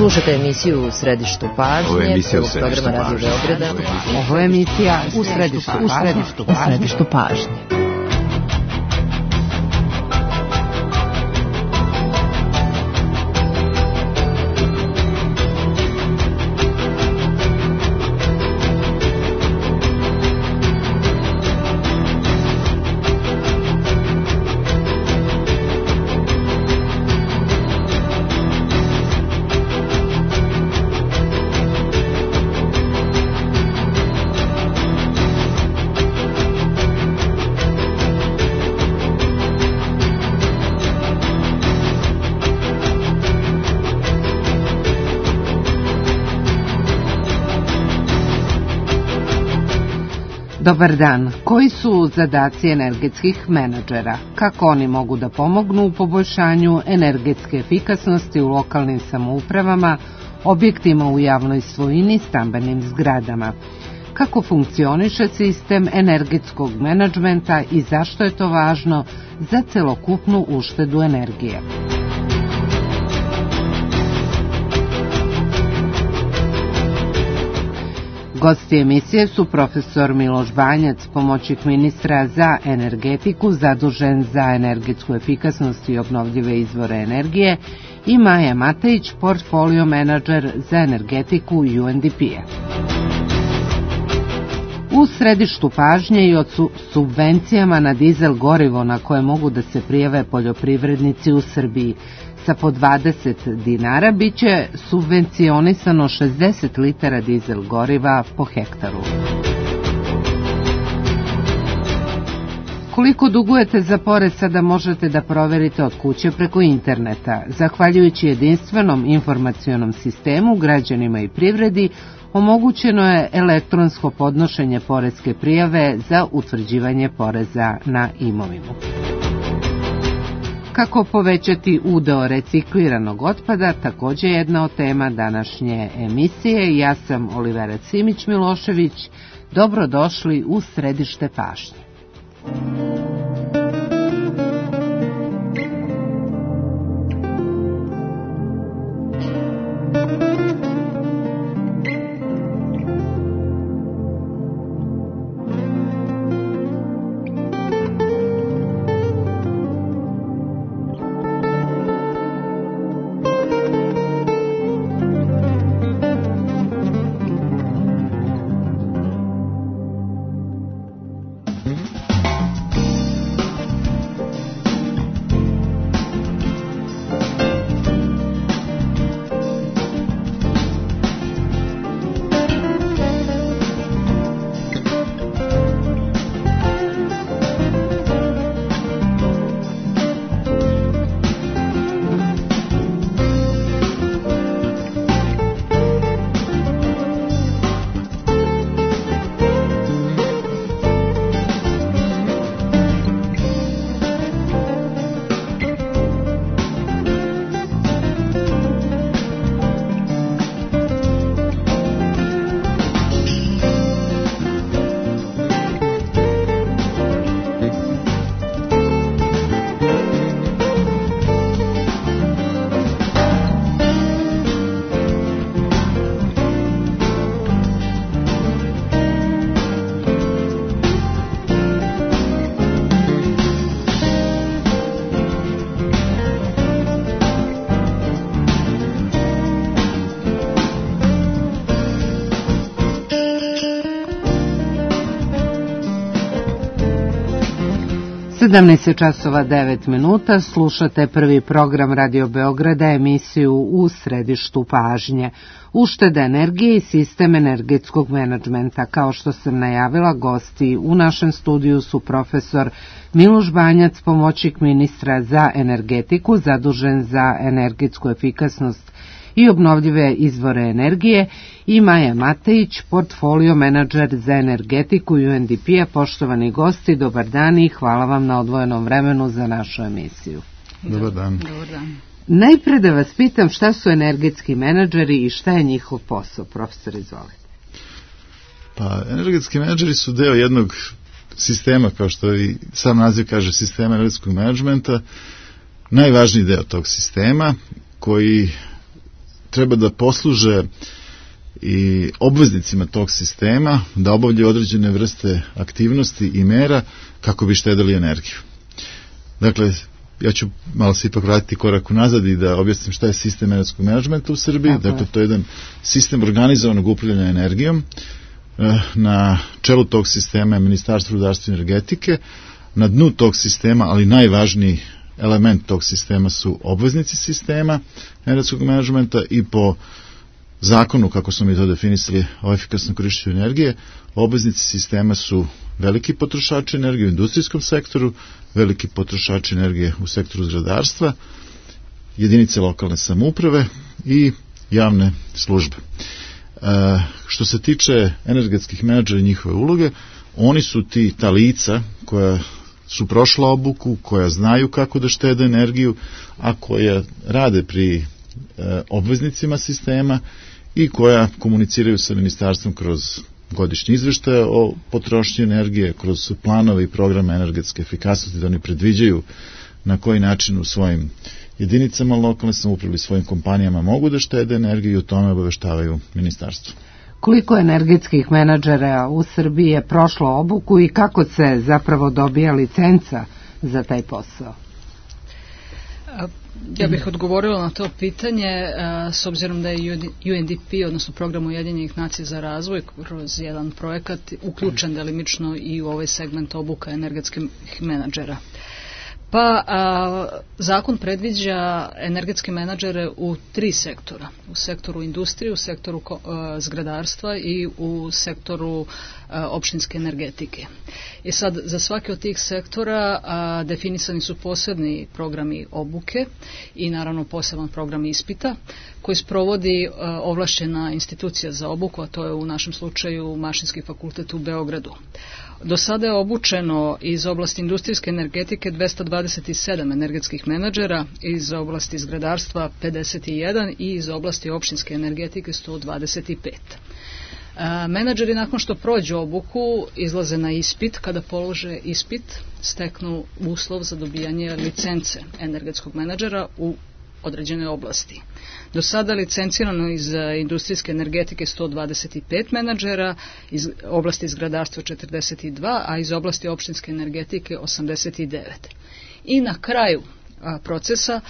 Slušate emisiju U središtu pažnje. Ovo je emisija U središtu pažnje. Ovo je emisija U središtu pažnje. Dobar dan. Koji su zadaci energetskih menadžera? Kako oni mogu da pomognu u poboljšanju energetske efikasnosti u lokalnim samoupravama, objektima u javnoj svojini, stambenim zgradama? Kako funkcioniše sistem energetskog menadžmenta i zašto je to važno za celokupnu uštedu energije? Gosti emisije su profesor Miloš Banjac, pomoćnik ministra za energetiku, zadužen za energetsku efikasnost i obnovljive izvore energije, i Maja Matejić, portfolio menadžer za energetiku UNDP-a. U središtu pažnje i o subvencijama na dizel gorivo na koje mogu da se prijave poljoprivrednici u Srbiji. Sa po 20 dinara biće subvencionisano 60 litara dizel goriva po hektaru. Koliko dugujete za porez sada možete da proverite od kuće preko interneta. Zahvaljujući jedinstvenom informacionom sistemu, građanima i privredi omogućeno je elektronsko podnošenje poreske prijave za utvrđivanje poreza na imovinu. Kako povećati udeo recikliranog otpada, također jedna od tema današnje emisije. Ja sam Olivera Simić-Milošević. Dobrodošli u središte pažnje. časova 9 minuta, slušate prvi program Radio Beograda, emisiju U središtu pažnje. Ušteda energije i sistem energetskog menadžmenta. Kao što sam najavila, gosti u našem studiju su profesor Miloš Banjac, pomoćnik ministra za energetiku, zadužen za energetsku efikasnost i obnovljive izvore energije, i Maja Matejić, portfolio menadžer za energetiku UNDP-a. Poštovani gosti, dobar dan i hvala vam na odvojenom vremenu za našu emisiju. Dobar dan. Najpre da vas pitam šta su energetski menadžeri i šta je njihov posao, profesor, izvolite. Pa, energetski menadžeri su deo jednog sistema, kao što i sam naziv kaže, sistema energetskog menadžmenta, najvažniji deo tog sistema koji treba da posluže i obveznicima tog sistema da obavljaju određene vrste aktivnosti i mera kako bi štedili energiju. Dakle, ja ću malo se ipak vratiti korak unazad i da objasnim šta je sistem energetskog menadžmenta u Srbiji. Dakle, to je jedan sistem organizovanog upravljanja energijom. Na čelu tog sistema je Ministarstvo rudarstva i energetike. Na dnu tog sistema, ali najvažniji element tog sistema su obveznici sistema energetskog menadžmenta i po zakonu, kako smo mi to definisali, o efikasnom korišćenju energije, obveznici sistema su veliki potrošači energije u industrijskom sektoru, veliki potrošači energije u sektoru zgradarstva, jedinice lokalne samouprave i javne službe. Što se tiče energetskih menadžera i njihove uloge, oni su ta lica koja su prošla obuku, koja znaju kako da štede energiju, a koja rade pri obveznicima sistema i koja komuniciraju sa ministarstvom kroz godišnji izveštaje o potrošnji energije, kroz planove i programe energetske efikasnosti, da oni predviđaju na koji način u svojim jedinicama lokalne samouprave i svojim kompanijama mogu da štede energiju i o tome obaveštavaju ministarstvo. Koliko energetskih menadžera u Srbiji je prošlo obuku i kako se zapravo dobija licenca za taj posao? Ja bih odgovorila na to pitanje s obzirom da je UNDP, odnosno Program Ujedinjenih nacija za razvoj, kroz jedan projekat uključen delimično i u ovaj segment obuka energetskih menadžera. Pa zakon predviđa energetske menadžere u 3 sektora. U sektoru industrije, u sektoru zgradarstva i u sektoru opštinske energetike. I sad, za svaki od tih sektora definisani su posebni programi obuke i naravno poseban program ispita koji sprovodi ovlašćena institucija za obuku, a to je u našem slučaju Mašinski fakultet u Beogradu. Do sada je obučeno iz oblasti industrijske energetike 227 energetskih menadžera, iz oblasti zgradarstva 51 i iz oblasti opštinske energetike 125. Menadžeri nakon što prođu obuku izlaze na ispit. Kada polože ispit, steknu uslov za dobijanje licence energetskog menadžera u određenoj oblasti. Do sada licencirano iz industrijske energetike 125 menadžera, iz oblasti zgradarstva 42, a iz oblasti opštinske energetike 89. I na kraju procesa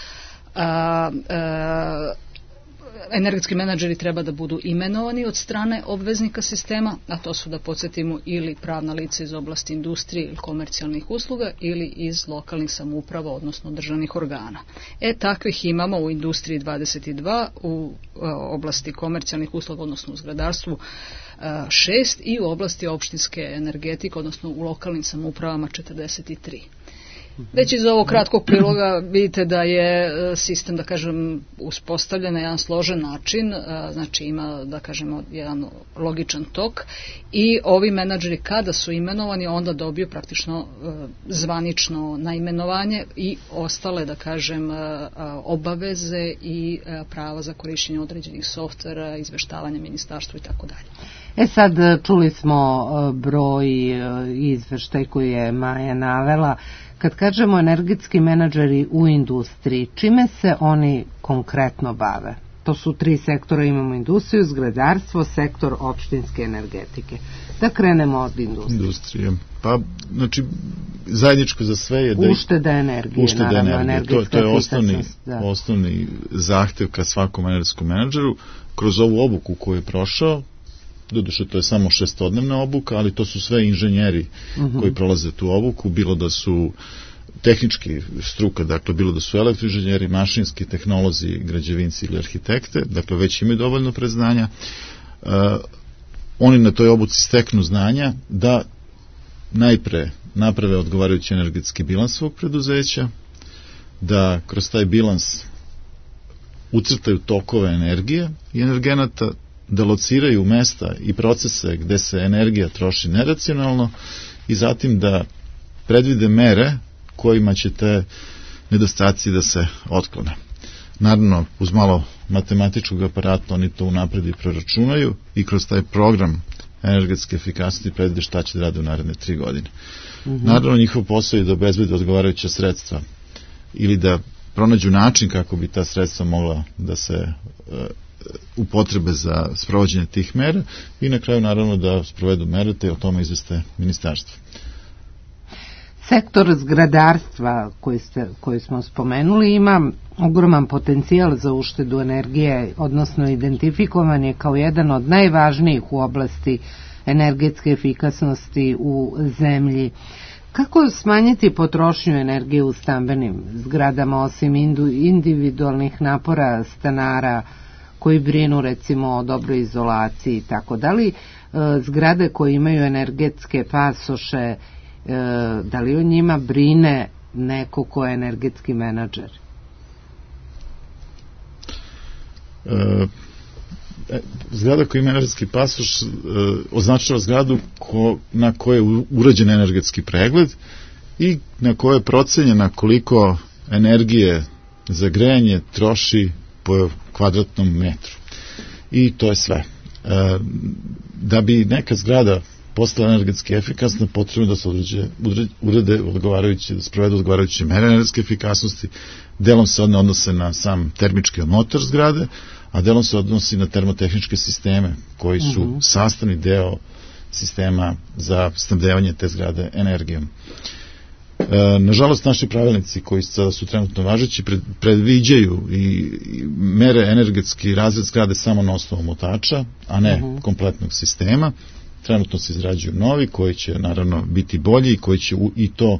energetski menadžeri treba da budu imenovani od strane obveznika sistema, a to su, da podsjetimo, ili pravna lica iz oblasti industrije ili komercijalnih usluga ili iz lokalnih samouprava, odnosno državnih organa. Takvih imamo u industriji 22, u oblasti komercijalnih usluga, odnosno u zgradarstvu 6 i u oblasti opštinske energetike, odnosno u lokalnim samoupravama 43. Već iz ovog kratkog priloga vidite da je sistem, da kažem, uspostavljen na jedan složen način, znači ima, da kažemo, jedan logičan tok i ovi menadžeri kada su imenovani onda dobiju praktično zvanično naimenovanje i ostale, da kažem, obaveze i prava za korišćenje određenih softvera, izveštavanja ministarstva i tako dalje. Sad čuli smo broj izveštaj koji je Maja navela. Kad kažemo energetski menadžeri u industriji, čime se oni konkretno bave? To su 3 sektora, imamo industriju, zgradarstvo, sektor opštinske energetike. Da krenemo od industrije. Pa, znači, zajedničko za sve je da... Ušteda energije, naravno, energetska efikasnost. To je osnovni zahtev ka svakom energetskom menadžeru. Kroz ovu obuku koju je prošao, doduše to je samo 6-dnevna obuka, ali to su sve inženjeri koji prolaze tu obuku, bilo da su tehnički struka, dakle bilo da su elektroinženjeri, mašinski, tehnolozi, građevinci ili arhitekte, dakle već imaju dovoljno predznanja. Oni na toj obuci steknu znanja da najpre naprave odgovarajući energetski bilans svog preduzeća, da kroz taj bilans ucrtaju tokove energije i energenata, da lociraju mesta i procese gde se energija troši neracionalno i zatim da predvide mere kojima će te nedostaci da se otklone. Naravno, uz malo matematičkog aparata oni to unapred i proračunaju i kroz taj program energetske efikasnosti predvide šta će da rade u naredne 3 godine. Naravno, njihov posao je da obezbede odgovarajuća sredstva ili da pronađu način kako bi ta sredstva mogla da se upotrebe za sprovođenje tih mera i na kraju naravno da sprovedu mere te o tome izveste ministarstvo. Sektor zgradarstva koji smo spomenuli ima ogroman potencijal za uštedu energije, odnosno identifikovan je kao jedan od najvažnijih u oblasti energetske efikasnosti u zemlji. Kako smanjiti potrošnju energije u stambenim zgradama osim individualnih napora stanara koji brinu recimo o dobroj izolaciji, tako da li zgrade koje imaju energetske pasoše, da li o njima brine neko ko je energetski menadžer? Zgrada koja ima energetski pasoš označava zgradu na kojoj je urađen energetski pregled i na kojoj je procenjena koliko energije za grejanje troši po kvadratnom metru. I to je sve. Da bi neka zgrada postala energetski efikasna, potrebno da se urede odgovarajuće, da sprovedu odgovarajuće mere energetske efikasnosti. Delom se odnose na sam termički motor zgrade, a delom se odnosi na termotehničke sisteme koji su sastavni deo sistema za snabdevanje te zgrade energijom. Nažalost, naši pravilnici koji sada su trenutno važeći predviđaju i mere energetski razred zgrade samo na osnovu motača, a ne kompletnog sistema. Trenutno se izrađuju novi koji će naravno biti bolji i koji će i to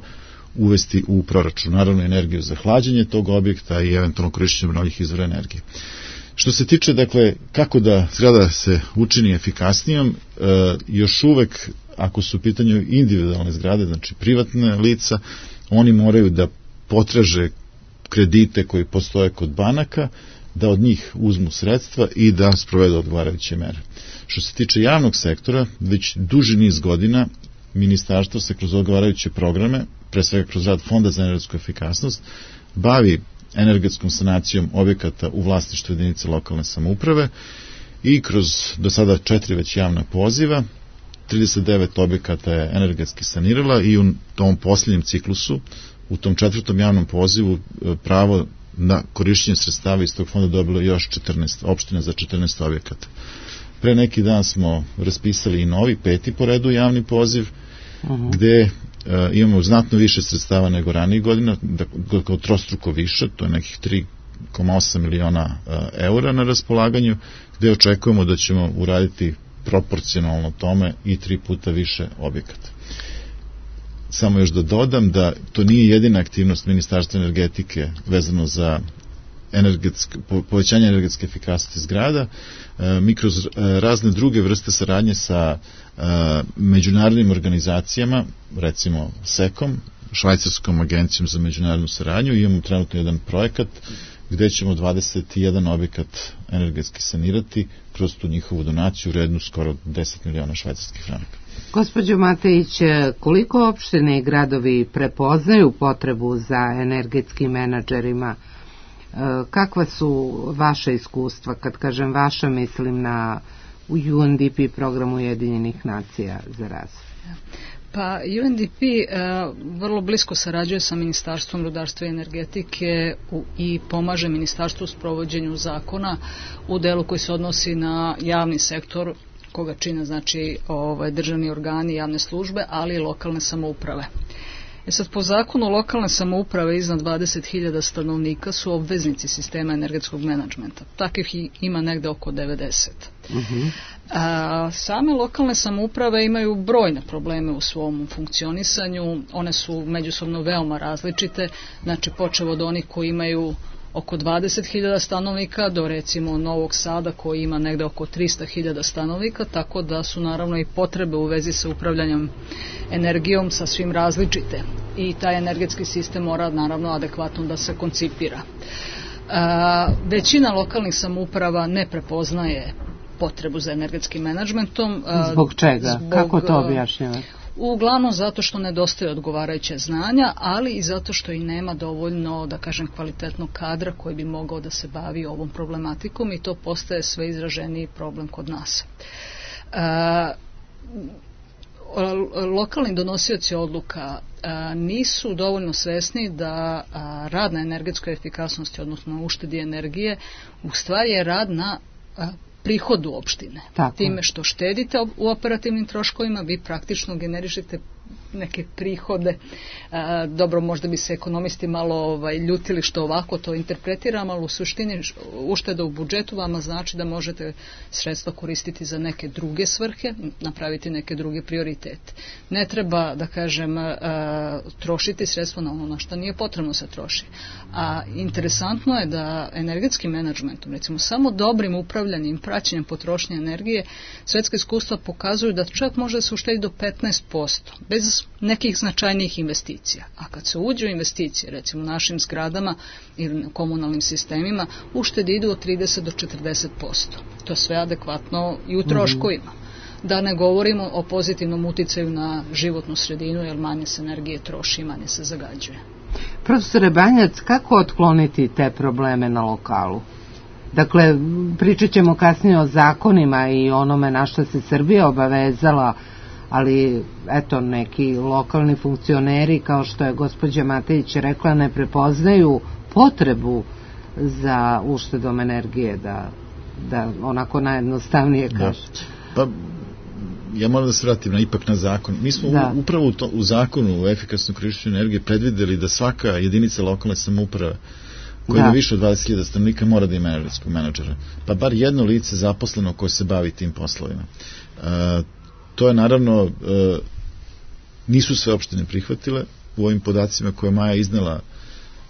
uvesti u proračun. Naravno energiju za hlađenje tog objekta i eventualno korišćenje obnovljivih izvora energije. Što se tiče, dakle, kako da zgrada se učini efikasnijom, još uvek, ako su u pitanju individualne zgrade, znači privatne lica, oni moraju da potraže kredite koji postoje kod banaka, da od njih uzmu sredstva i da sprovedu odgovarajuće mere. Što se tiče javnog sektora, već duži niz godina ministarstvo se kroz odgovarajuće programe, pre svega kroz rad Fonda za energetsku efikasnost, bavi energetskom sanacijom objekata u vlasništvu jedinice lokalne samouprave i kroz do sada 4 već javna poziva 39 objekata je energetski sanirala i u tom posljednjem ciklusu, u tom 4. javnom pozivu, pravo na korišćenje sredstava iz tog fonda dobilo još 14 opština za 14 objekata. Pre neki dan smo raspisali i novi 5. po redu javni poziv, gde imamo znatno više sredstava nego ranijih godina, kao trostruko više, to je nekih 3,8 miliona eura na raspolaganju, gde očekujemo da ćemo uraditi proporcionalno tome i 3 puta više objekata. Samo još da dodam da to nije jedina aktivnost Ministarstva energetike vezano za povećanje energetske efikasnosti zgrada. Mi kroz razne druge vrste saradnje sa međunarodnim organizacijama, recimo SECOM, Švajcarskom agencijom za međunarodnu saradnju, imamo trenutno jedan projekat gde ćemo 21 objekat energetski sanirati kroz tu njihovu donaciju rednu skoro 10 miliona švajcarskih franaka. Gospođo Matejić, koliko opštine i gradovi prepoznaju potrebu za energetskim menadžerima? Kakva su vaša iskustva? Kad kažem vaša, mislim na UNDP program Ujedinjenih nacija za razvoj. Pa UNDP vrlo blisko sarađuje sa Ministarstvom rudarstva i energetike i pomaže ministarstvu u sprovođenju zakona u delu koji se odnosi na javni sektor, koga čine znači državni organi, javne službe, ali i lokalne samouprave. Sad, po zakonu lokalne samouprave iznad 20.000 stanovnika su obveznici sistema energetskog menadžmenta. Takvih ima negde oko 90. Same lokalne samouprave imaju brojne probleme u svom funkcionisanju. One su međusobno veoma različite. Znači, počev od onih koji imaju oko 20.000 stanovnika do recimo Novog Sada koji ima negde oko 300.000 stanovnika, tako da su naravno i potrebe u vezi sa upravljanjem energijom sasvim različite i taj energetski sistem mora naravno adekvatno da se koncipira. Većina lokalnih samouprava ne prepoznaje potrebu za energetskim menadžmentom. Zbog čega? Kako to objašnjavate? Uglavnom zato što nedostaje odgovarajuće znanja, ali i zato što i nema dovoljno, da kažem, kvalitetnog kadra koji bi mogao da se bavi ovom problematikom i to postaje sve izraženiji problem kod nas. Lokalni donosioci odluka nisu dovoljno svesni da rad na energetskoj efikasnosti, odnosno uštedi energije, u stvari je rad na prihodu opštine. Tako. Time što štedite u operativnim troškovima, vi praktično generišete neke prihode. Dobro, možda bi se ekonomisti malo ljutili što ovako to interpretiramo, ali u suštini ušteda u budžetu vama znači da možete sredstva koristiti za neke druge svrhe, napraviti neke druge prioritete. Ne treba, da kažem, trošiti sredstva na ono na što nije potrebno se troši. A interesantno je da energetskim menadžmentom, recimo samo dobrim upravljanjem, praćenjem potrošnje energije, svetska iskustva pokazuju da čak može da se uštedi do 15%, bez nekih značajnijih investicija. A kad se uđe u investicije, recimo u našim zgradama ili komunalnim sistemima, uštede idu od 30 do 40%. To je sve adekvatno i u troškovima. Da ne govorimo o pozitivnom uticaju na životnu sredinu, jer manje se energije troši i manje se zagađuje. Profesore Banjac, kako otkloniti te probleme na lokalu? Dakle, pričat ćemo kasnije o zakonima i onome na što se Srbija obavezala, ali eto, neki lokalni funkcioneri, kao što je gospođa Matejić rekla, ne prepoznaju potrebu za uštedom energije, da onako najjednostavnije kaže. Pa, ja moram da se vratim ipak na zakon. Mi smo upravo u zakonu o efikasnom korišćenju energije predvideli da svaka jedinica lokalne samouprave koja ima više od 20.000 stanovnika mora da ima energetskog menadžera. Pa bar jedno lice zaposleno koje se bavi tim poslovima. To je naravno, nisu sve opštine prihvatile. U ovim podacima koje Maja iznela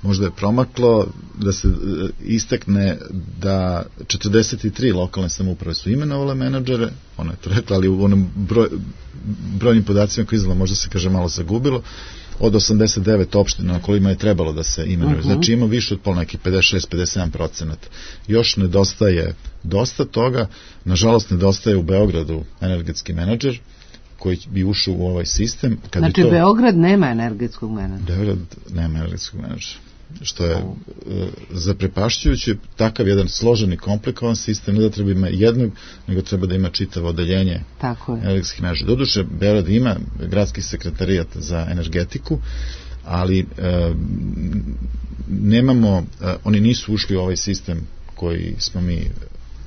možda je promaklo da se istakne da 43 lokalne samouprave su imenovale menadžere, ona je to rekla, ali u onom brojnim podacima koje iznela možda se kaže malo zagubilo, od 89 opština na kojima je trebalo da se imenuje. Znači ima više od nekih 56-57%. Još nedostaje dosta toga. Nažalost, nedostaje u Beogradu energetski menadžer koji bi ušao u ovaj sistem. Znači, Beograd nema energetskog menadžera? Beograd nema energetskog menadžera. Što je zaprepašćujuće, takav jedan složen i komplikovan sistem, ne da treba ima jednog, nego treba da ima čitavo odeljenje energetskih menadžera. Doduše, Beograd ima gradski sekretarijat za energetiku, ali nemamo, oni nisu ušli u ovaj sistem koji smo mi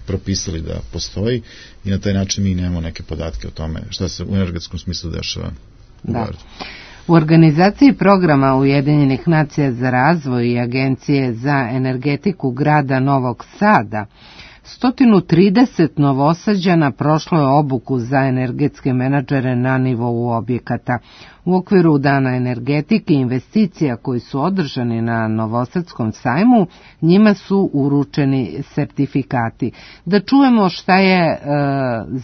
propisali da postoji i na taj način mi nemamo neke podatke o tome šta se u energetskom smislu dešava u Beogradu. U organizaciji programa Ujedinjenih nacija za razvoj i Agencije za energetiku grada Novog Sada 130 Novosađana prošlo je obuku za energetske menadžere na nivou objekata. U okviru Dana energetike i investicija koji su održani na Novosadskom sajmu, njima su uručeni sertifikati. Da čujemo šta je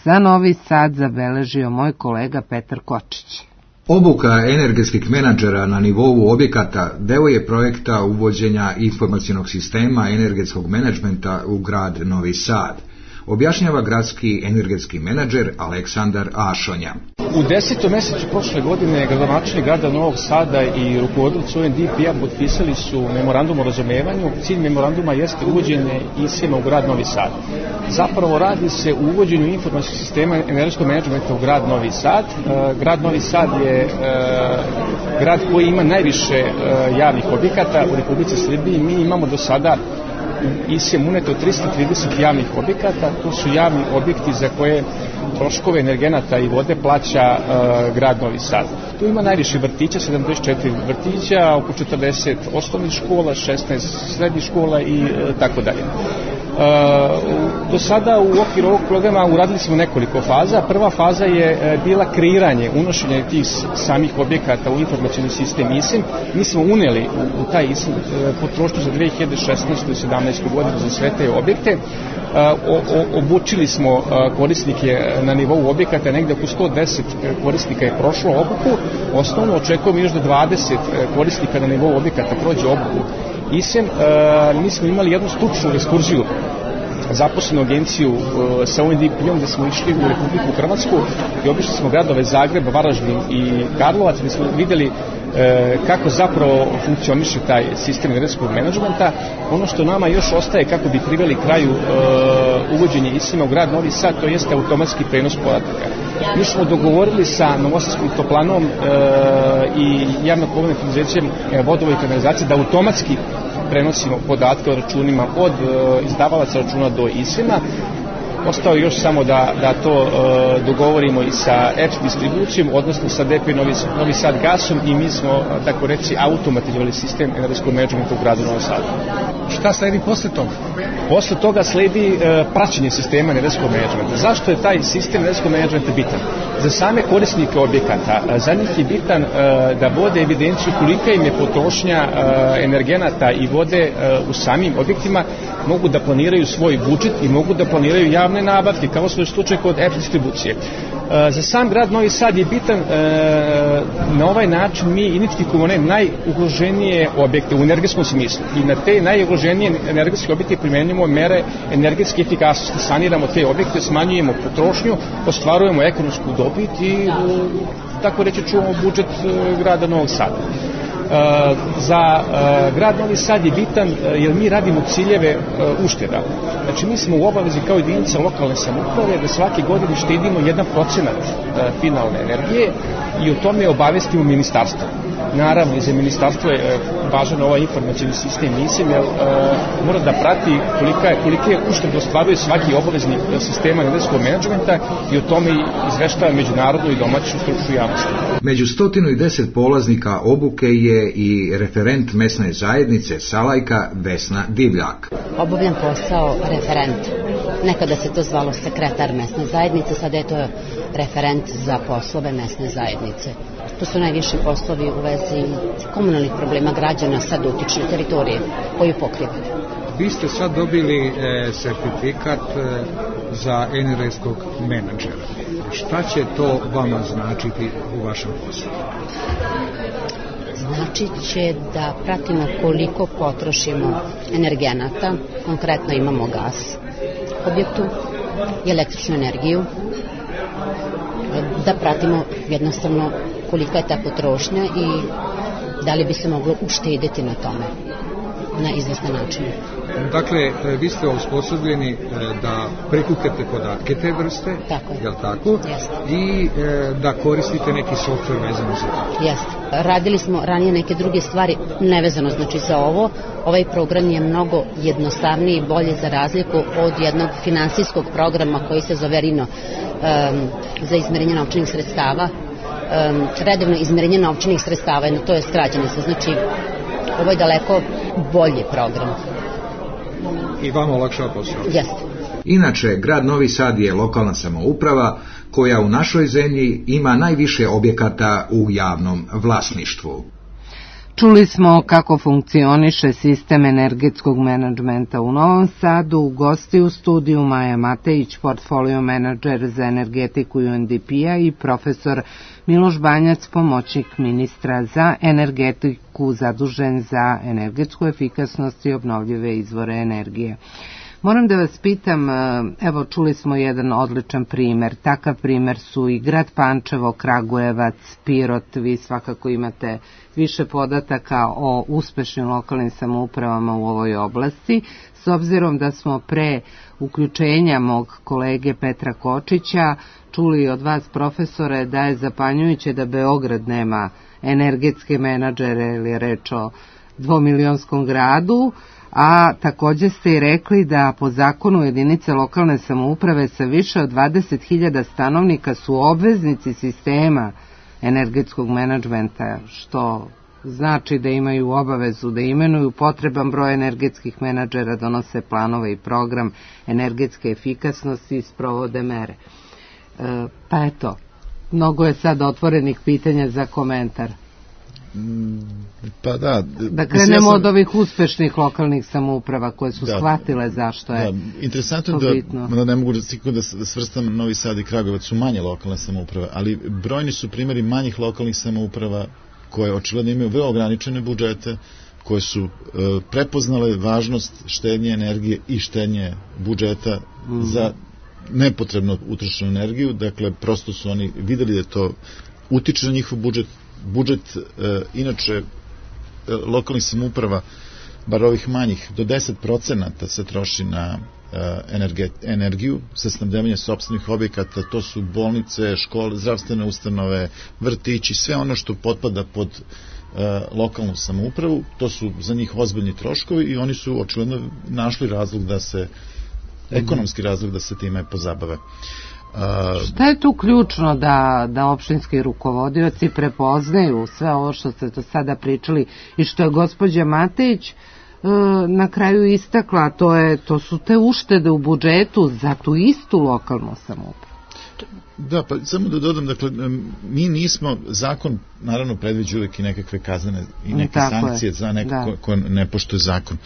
za Novi Sad zabeležio moj kolega Petar Kočić. Obuka energetskih menadžera na nivou objekata deo je projekta uvođenja informacionog sistema energetskog menadžmenta u grad Novi Sad, objašnjava gradski energetski menadžer Aleksandar Ašonja. U 10. mesecu prošle godine gradonačelnik grada Novog Sada i rukovodioci UNDP-a potpisali su memorandum o razumevanju. Cilj memoranduma jeste uvođenje ISEM-a u grad Novi Sad. Zapravo radi se u uvođenju informacijskog sistema energetskog menadžmenta u grad Novi Sad. Grad Novi Sad je grad koji ima najviše javnih objekata u Republici Srbiji. Mi imamo do sada ISEM uneto 330 javnih objekata. To su javni objekti za koje troškove energenata i vode plaća grad Novi Sad. Tu ima najviše vrtića, 74 vrtića, oko 40 osnovnih škola, 16 srednjih škola i tako dalje. Do sada u okviru ovog programa uradili smo nekoliko faza. Prva faza je bila kreiranje, unošenje tih samih objekata u informacioni sistem ISEM. Mi smo uneli u taj ISEM potrošnju za 2016. i 2017. godinu za sve te objekte. Obučili smo korisnike na nivou objekata, negde oko 110 korisnika je prošlo obuku. Osnovno očekujemo još da 20 korisnika na nivou objekata prođe obuku ISEM. Mi smo imali jednu stručnu ekskurziju zaposlenu agenciju sa UNDP-om gde smo išli u Republiku Hrvatsku i obišli smo gradove Zagreb, Varaždin i Karlovac gde smo videli kako zapravo funkcioniše taj sistem energetskog menadžmenta. Ono što nama još ostaje kako bi priveli kraju uvođenje ISEM-a u grad Novi Sad, to jeste automatski prenos podataka. Mi smo dogovorili sa Novosadskim toplanom i javno-komunalnim preduzećem vodova i kanalizacije da automatski prenosimo podatke o računima od izdavalaca računa do ISEM-a. Ostao još samo da to dogovorimo i sa EPS distribucijom, odnosno sa DP Novi Sad gasom, i mi smo, tako reći, automatizovali sistem energetskog menadžmenta u gradu Novom Sadu. Šta sledi posle toga? Posle toga sledi praćenje sistema energetskog menadžmenta. Zašto je taj sistem energetskog menadžmenta bitan? Za same korisnike objekata, za njih je bitan da vode evidenciju kolika im je potrošnja energenata i vode u samim objektima, mogu da planiraju svoj budžet i mogu da planiraju javne nabavke, kao što je slučaj kod EPS distribucije. Za sam grad Novi Sad je bitan, na ovaj način mi identifikujemo najugroženije objekte u energetskom smislu i na te najugroženije energetske objekte primenjujemo mere energetske efikasnosti, saniramo te objekte, smanjujemo potrošnju, ostvarujemo ekonomsku dobit i, tako reći, čuvamo budžet grada Novog Sada. Za grad Novi Sad je bitan jer mi radimo ciljeve ušteda. Znači mi smo u obavezi kao jedinica lokalne samouprave da svake godine štedimo 1% finalne energije i o tome obavestimo ministarstvo. Naravno, i za ministarstvo je važan ovaj informacijni sistem NISEM, jer mora da prati kolike uštede ostvaruje svaki obavezni sistema energetskog menadžmenta i o tome izveštava međunarodnu i domaću stručnu javnost. Među 110 polaznika obuke je i referent mesne zajednice Salajka Vesna Divljak. Obavljam posao referent. Nekada se to zvalo sekretar mesne zajednice, sada je to referent za poslove mesne zajednice. To su najviše poslovi u vezi komunalnih problema građana sa dotične teritorije koju pokrivaju. Vi ste sad dobili sertifikat za energetskog menadžera. Šta će to vama značiti u vašem poslu? Znači će da pratimo koliko potrošimo energenata, konkretno imamo gas u objektu i električnu energiju, da pratimo jednostavno kolika je ta potrošnja i da li bi se moglo uštediti na tome na izvestan način. Dakle, vi ste osposobljeni da prikupljate podatke te vrste, je li tako? Jeste. I da koristite neki softver vezano za to. Jeste. Radili smo ranije neke druge stvari nevezano znači za ovo. Ovaj program je mnogo jednostavniji i bolje za razliku od jednog finansijskog programa koji se zove RINO za izmerenje novčanih sredstava. Redovno izmerenje novčanih sredstava, to je skraćenica, znači ovo je daleko bolji program. I vama olakšava posao. Jeste. Inače, grad Novi Sad je lokalna samouprava koja u našoj zemlji ima najviše objekata u javnom vlasništvu. Čuli smo kako funkcioniše sistem energetskog menadžmenta u Novom Sadu. Gosti u studiju Maja Matejić, portfolio menadžer za energetiku UNDP-a, i profesor Miloš Banjac, pomoćnik ministra za energetiku zadužen za energetsku efikasnost i obnovljive izvore energije. Moram da vas pitam, evo čuli smo jedan odličan primer, takav primer su i grad Pančevo, Kragujevac, Pirot, vi svakako imate više podataka o uspešnim lokalnim samoupravama u ovoj oblasti, s obzirom da smo pre uključenja mog kolege Petra Kočića čuli od vas, profesore, da je zapanjujuće da Beograd nema energetske menadžere, ili je reč o dvomilionskom gradu, a takođe ste i rekli da po zakonu jedinice lokalne samouprave sa više od 20.000 stanovnika su obveznici sistema energetskog menadžmenta, što znači da imaju obavezu da imenuju potreban broj energetskih menadžera, donose planove i program energetske efikasnosti i sprovode mere. Pa eto, mnogo je sad otvorenih pitanja za komentar. Pa da krenemo od ovih uspešnih lokalnih samouprava koje su shvatile zašto je interesantno to bitno. Da ne mogu da svrstam Novi Sad i Kragujevac su manje lokalne samouprave, ali brojni su primjeri manjih lokalnih samouprava koje očigledno imaju vrlo ograničene budžete, koje su prepoznale važnost štednje energije i štednje budžeta za nepotrebno utrošenu energiju. Dakle, prosto su oni videli da to utiče na njihov budžet. Inače lokalnih samouprava, bar ovih manjih, do 10% se troši na energiju sa snabdevanje sopstvenih objekata. To su bolnice, škole, zdravstvene ustanove, vrtići, sve ono što potpada pod lokalnu samoupravu. To su za njih ozbiljni troškovi i oni su očigledno našli razlog da se ekonomski razlog da se time pozabave. Šta je tu ključno da opštinski rukovodioci prepoznaju sve ovo što ste do sada pričali i što je gospođa Matejić na kraju istakla, to su te uštede u budžetu za tu istu lokalnu samoupravu? Da, pa samo da dodam, dakle, mi nismo, zakon naravno predviđa uvijek i nekakve kaznene i neke sankcije za neko ko ne poštuje zakon.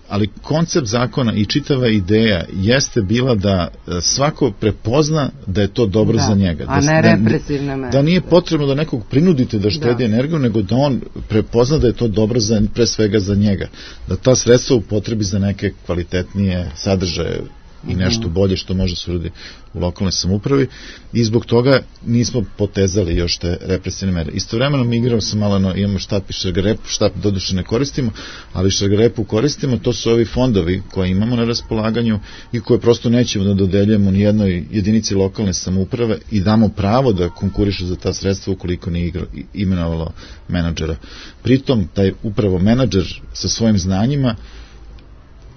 Ali koncept zakona i čitava ideja jeste bila da svako prepozna da je to dobro za njega. A ne represivne mere. Da nije potrebno da nekog prinudite da štedi energiju, nego da on prepozna da je to dobro pre svega za njega. Da ta sredstva upotrebi za neke kvalitetnije sadržaje i nešto bolje što može se uradi u lokalnoj samoupravi i zbog toga nismo potezali još te represivne mere. Istovremeno mi igramo se malo, imamo štap i šargarepu, štap doduše ne koristimo, ali šargarepu koristimo, to su ovi fondovi koje imamo na raspolaganju i koje prosto nećemo da dodeljujemo ni jednoj jedinici lokalne samouprave i damo pravo da konkuriše za ta sredstva ukoliko nije imenovalo menadžera. Pritom, taj upravo menadžer sa svojim znanjima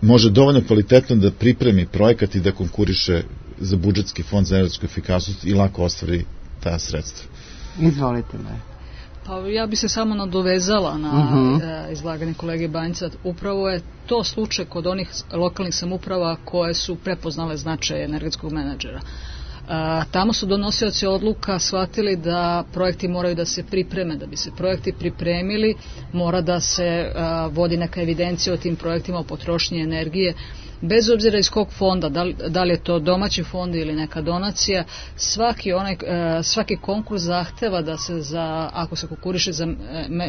može dovoljno kvalitetno da pripremi projekat i da konkuriše za budžetski fond za energetsku efikasnost i lako ostvari ta sredstva. Izvolite me. Pa ja bi se samo nadovezala na izlaganje kolege Banjca. Upravo je to slučaj kod onih lokalnih samouprava koje su prepoznale značaj energetskog menadžera. Tamo su donosioci odluka shvatili da projekti moraju da se pripreme. Da bi se projekti pripremili, mora da se vodi neka evidencija o tim projektima, o potrošnji energije. Bez obzira iz kog fonda, da li je to domaći fond ili neka donacija, svaki konkurs zahteva da se ako se konkuriše za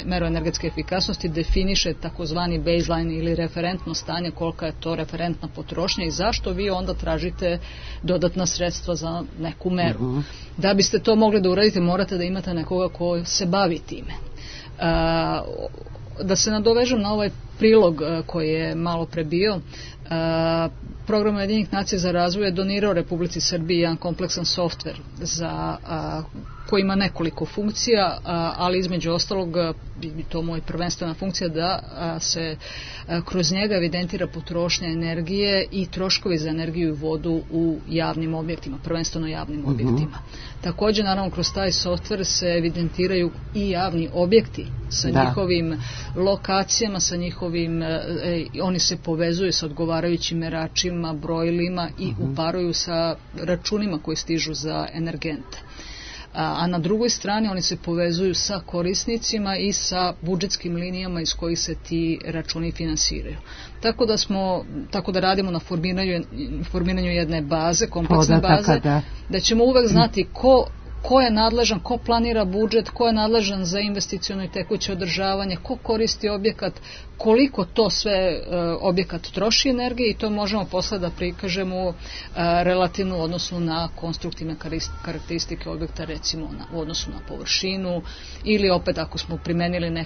meru energetske efikasnosti, definiše takozvani baseline ili referentno stanje, kolika je to referentna potrošnja i zašto vi onda tražite dodatna sredstva za neku meru. Da biste to mogli da uradite, morate da imate nekoga ko se bavi time. Da se nadovežem na ovaj prilog koji je malo pre bio, Program Ujedinjenih nacija za razvoj je donirao Republici Srbiji jedan kompleksan softver koji ima nekoliko funkcija, ali između ostalog to moja prvenstvena funkcija da se kroz njega evidentira potrošnja energije i troškovi za energiju i vodu u javnim objektima, prvenstveno javnim objektima. Također, naravno, kroz taj softver se evidentiraju i javni objekti sa njihovim lokacijama, sa njihovim, oni se povezuju sa odgovarajućim meračima, brojilima i uparuju sa računima koji stižu za energente. A na drugoj strani oni se povezuju sa korisnicima i sa budžetskim linijama iz kojih se ti računi finansiraju. Tako da radimo na formiranju jedne baze, kompleksne baze, da ćemo uvek znati ko je nadležan, ko planira budžet, ko je nadležan za investiciono i tekuće održavanje, ko koristi objekat, koliko to sve objekat troši energije i to možemo posle da prikažemo relativno u odnosu na konstruktivne karakteristike objekta, recimo u odnosu na površinu ili opet ako smo primenili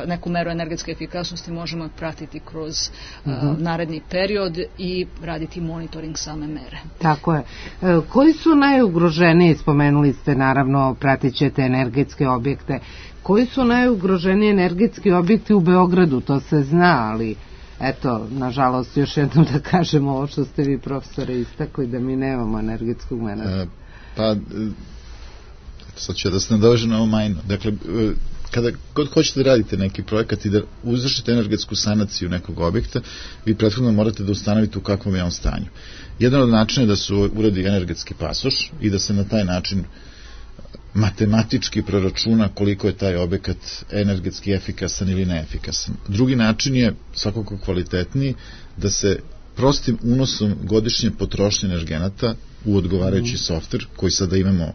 neku meru energetske efikasnosti možemo je pratiti kroz naredni period i raditi monitoring same mere. Tako je. Koji su najugroženiji, spomenuli ste naravno, pratit ćete energetske objekte, koji su najugroženiji energetski objekti u Beogradu, to se zna, ali eto, nažalost, još jednom da kažemo ovo što ste vi, profesore, istakli, da mi nemamo energetskog menadžera. Pa, sad ću da se nadovežem na ovo majno. Dakle, kada god hoćete da radite neki projekat i da izvršite energetsku sanaciju nekog objekta, vi prethodno morate da ustanovite u kakvom je on stanju. Jedan od načina je da se uradi energetski pasoš i da se na taj način matematički proračuna koliko je taj objekat energetski efikasan ili neefikasan. Drugi način je svakako kvalitetniji, da se prostim unosom godišnje potrošnje energenata u odgovarajući softver koji sada imamo,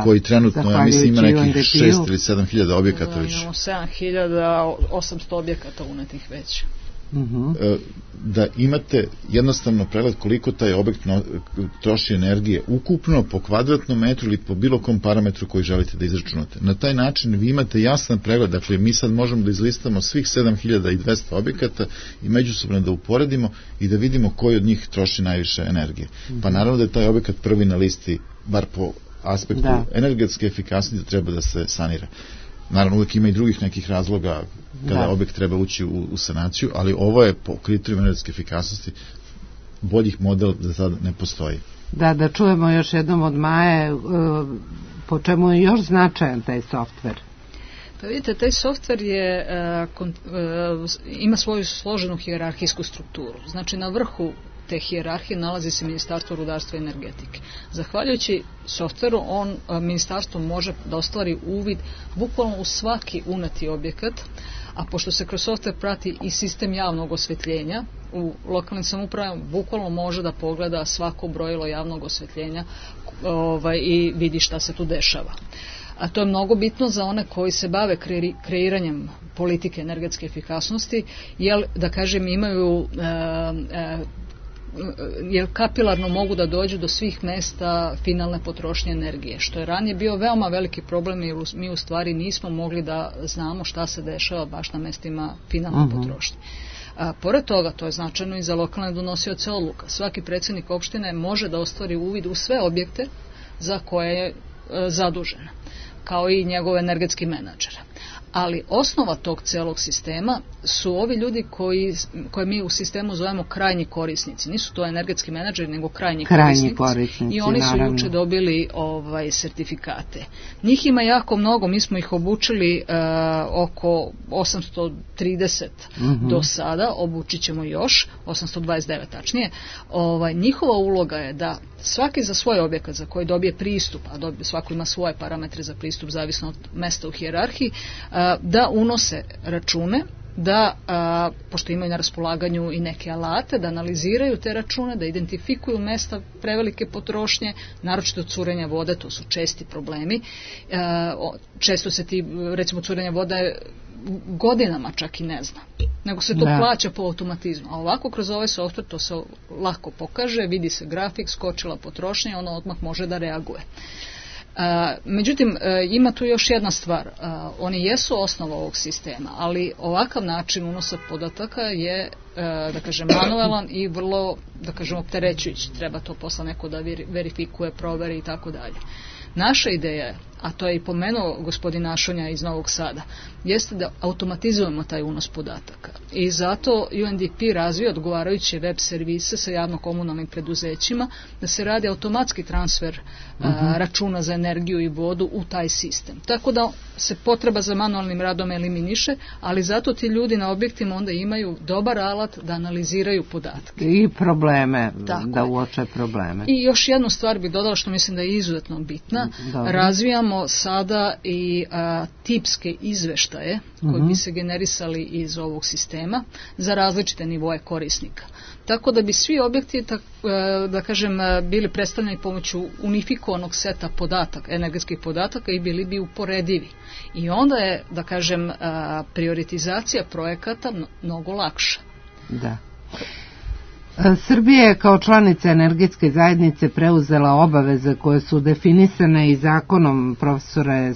koji trenutno, ja mislim, ima nekih 6 ili 7 hiljada objekata već. Imamo 7.800 objekata unetih već. Da imate jednostavno pregled koliko taj objekt troši energije ukupno po kvadratnom metru ili po bilo kom parametru koji želite da izračunate. Na taj način vi imate jasan pregled, dakle mi sad možemo da izlistamo svih 7200 objekata i međusobno da uporedimo i da vidimo koji od njih troši najviše energije. Pa naravno da je taj objekat prvi na listi, bar po aspektu energetske efikasnosti, da treba da se sanira. Naravno, uvijek ima i drugih nekih razloga kada objekt treba ući u sanaciju, ali ovo je po kriterijima energetske efikasnosti boljih modela za sada ne postoji. Da čujemo još jednom od Maje, po čemu je još značajan taj softver? Pa vidite, taj softver ima svoju složenu hijerarhijsku strukturu. Znači, na vrhu te hijerarhije nalazi se Ministarstvo rudarstva i energetike. Zahvaljujući softveru, ministarstvo može da ostvari uvid bukvalno u svaki uneti objekat, a pošto se kroz softver prati i sistem javnog osvetljenja, u lokalnim samoupravama bukvalno može da pogleda svako brojilo javnog osvetljenja i vidi šta se tu dešava. A to je mnogo bitno za one koji se bave kreiranjem politike energetske efikasnosti, jer, da kažem, imaju jer kapilarno mogu da dođu do svih mesta finalne potrošnje energije, što je ranije bio veoma veliki problem, jer mi u stvari nismo mogli da znamo šta se dešava baš na mestima finalne potrošnje. Pored toga, to je značajno i za lokalne donosioce odluka. Svaki predsjednik opštine može da ostvari uvid u sve objekte za koje je zadužen, kao i njegov energetski menadžer. Ali osnova tog celog sistema su ovi ljudi koje mi u sistemu zovemo krajnji korisnici. Nisu to energetski menadžeri, nego krajnji korisnici. I oni su juče dobili sertifikate. Njih ima jako mnogo, mi smo ih obučili oko 830 do sada, obučit ćemo još, 829 tačnije. Njihova uloga je da svaki za svoj objekat za koji dobije pristup, a svako ima svoje parametre za pristup zavisno od mesta u hijerarhiji, da unose račune, da, pošto imaju na raspolaganju i neke alate, da analiziraju te račune, da identifikuju mesta prevelike potrošnje, naročito curenja vode, to su česti problemi. Često se recimo curenja vode godinama čak i ne zna, nego se to plaća po automatizmu. A ovako kroz ovaj softver to se lako pokaže, vidi se grafik, skočila potrošnja i ono odmah može da reaguje. Međutim, ima tu još jedna stvar. Oni jesu osnova ovog sistema, ali ovakav način unosa podataka je, da kažem, manuelan i vrlo, da kažem, opterećujući. Treba to posle neko da verifikuje, proveri i tako dalje. Naša ideja je, a to je i pomenuo gospodin Našonja iz Novog Sada, jeste da automatizujemo taj unos podataka. I zato UNDP razvija odgovarajuće web servise sa javno-komunalnim preduzećima, da se radi automatski transfer računa za energiju i vodu u taj sistem. Tako da se potreba za manualnim radom eliminiše, ali zato ti ljudi na objektima onda imaju dobar alat da analiziraju podatke. I probleme, da uoče probleme. I još jednu stvar bih dodala što mislim da je izuzetno bitna. Razvijamo sada i tipske izveštaje koji bi se generisali iz ovog sistema za različite nivoe korisnika. Tako da bi svi objekti, da kažem, bili predstavljeni pomoću unifikovanog seta podataka, energetskih podataka i bili bi uporedivi. I onda je, da kažem, prioritizacija projekata mnogo lakša. Da. Srbija je kao članica energetske zajednice preuzela obaveze koje su definisane i zakonom, profesore,